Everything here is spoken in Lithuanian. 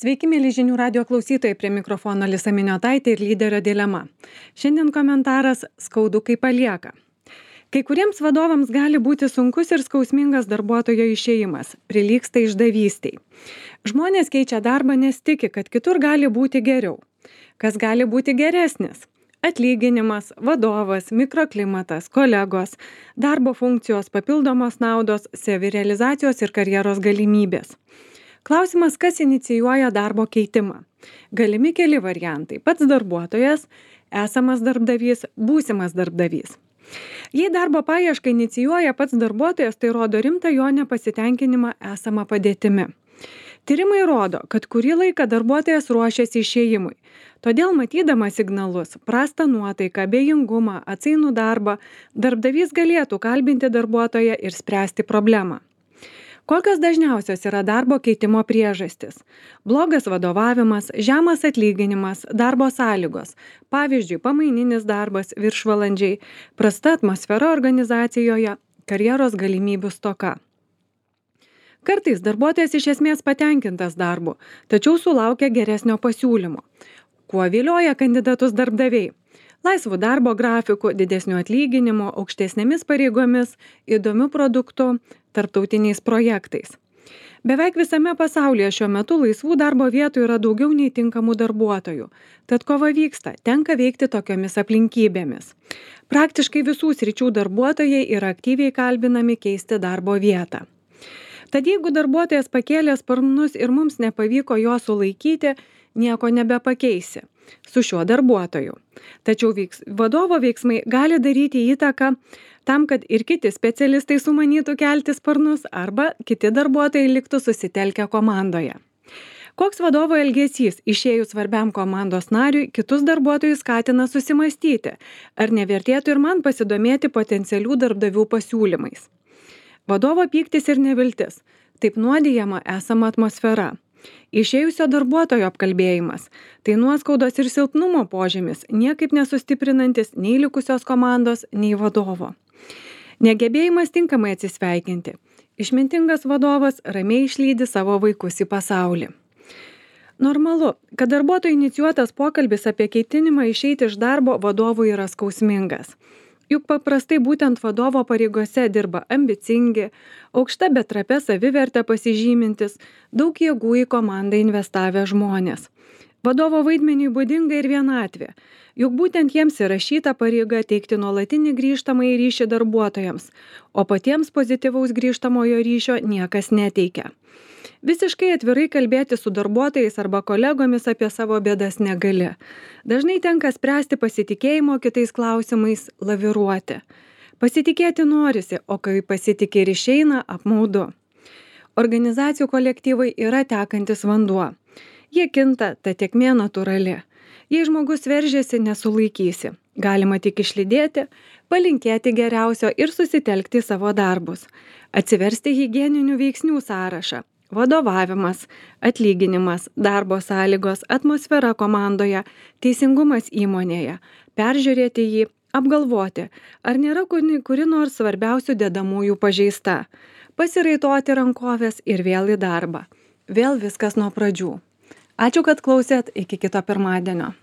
Sveiki, mėly žinių radio klausytojai, prie mikrofono Alisa Miniotaitė ir lyderio dilema. Šiandien komentaras skaudu, kai palieka. Kai kuriems vadovams gali būti sunkus ir skausmingas darbuotojo išėjimas, prilygsta išdavystiai. Žmonės keičia darbą, nes tiki, kad kitur gali būti geriau. Kas gali būti geresnis? Atlyginimas, vadovas, mikroklimatas, kolegos, darbo funkcijos, papildomos naudos, savirealizacijos ir karjeros galimybės. Klausimas, kas inicijuoja darbo keitimą. Galimi keli variantai. Pats darbuotojas, esamas darbdavys, būsimas darbdavys. Jei darbo paiešką inicijuoja pats darbuotojas, tai rodo rimtą jo nepasitenkinimą esamą padėtimi. Tyrimai rodo, kad kurį laiką darbuotojas ruošiasi išėjimui. Todėl matydamas signalus, prastą nuotaiką, abejingumą, atsainų darbą, darbdavys galėtų kalbinti darbuotoją ir spręsti problemą. Kokios dažniausios yra darbo keitimo priežastys? Blogas vadovavimas, žemas atlyginimas, darbo sąlygos, pavyzdžiui, pamaininis darbas, viršvalandžiai, prasta atmosfera organizacijoje, karjeros galimybių stoka. Kartais darbuotojas iš esmės patenkintas darbu, tačiau sulaukia geresnio pasiūlymo. Kuo vilioja kandidatus darbdaviai? Laisvų darbo grafikų, didesnių atlyginimų, aukštesnėmis pareigomis, įdomių produktų, tarptautiniais projektais. Beveik visame pasaulyje šiuo metu laisvų darbo vietų yra daugiau nei tinkamų darbuotojų. Tad kova vyksta, tenka veikti tokiomis aplinkybėmis. Praktiškai visų sričių darbuotojai yra aktyviai kalbinami keisti darbo vietą. Tad jeigu darbuotojas pakėlė sparnus ir mums nepavyko jo sulaikyti, nieko nebepakeisi su šiuo darbuotoju. Tačiau vadovo veiksmai gali daryti įtaką tam, kad ir kiti specialistai sumanytų kelti sparnus arba kiti darbuotojai liktų susitelkę komandoje. Koks vadovo elgesys išėjus svarbiam komandos nariui kitus darbuotojus skatina susimastyti, ar nevertėtų ir man pasidomėti potencialių darbdavių pasiūlymais. Vadovo pyktis ir neviltis. Taip nuodijama esama atmosfera. Išėjusio darbuotojo apkalbėjimas. Tai nuoskaudos ir silpnumo požymis, niekaip nesustiprinantis nei likusios komandos, nei vadovo. Negebėjimas tinkamai atsisveikinti. Išmintingas vadovas ramiai išlydi savo vaikus į pasaulį. Normalu, kad darbuotojo inicijuotas pokalbis apie keitinimą išeiti iš darbo vadovui yra skausmingas. Juk paprastai būtent vadovo pareigose dirba ambicingi, aukšta bet trapia savivertę pasižymintis, daug jėgų į komandą investavę žmonės. Vadovo vaidmeniui būdinga ir vienatvė, juk būtent jiems įrašyta pareiga teikti nuolatinį grįžtamąjį ryšį darbuotojams, o patiems pozityvaus grįžtamojo ryšio niekas neteikia. Visiškai atvirai kalbėti su darbuotojais arba kolegomis apie savo bėdas negali. Dažnai tenka spręsti pasitikėjimo kitais klausimais, laviruoti. Pasitikėti norisi, o kai pasitikė ir išeina, apmaudu. Organizacijų kolektyvai yra tekantis vanduo. Jie kinta, ta tėkmė natūrali. Jei žmogus veržiasi, nesulaikysi. Galima tik išlydėti, palinkėti geriausio ir susitelkti savo darbus. Atsiversti higieninių veiksnių sąrašą. Vadovavimas, atlyginimas, darbo sąlygos, atmosfera komandoje, teisingumas įmonėje, peržiūrėti jį, apgalvoti, ar nėra kuri nors svarbiausių dedamųjų pažeista, pasiraitoti rankovės ir vėl į darbą. Vėl viskas nuo pradžių. Ačiū, kad klausėt, iki kito pirmadienio.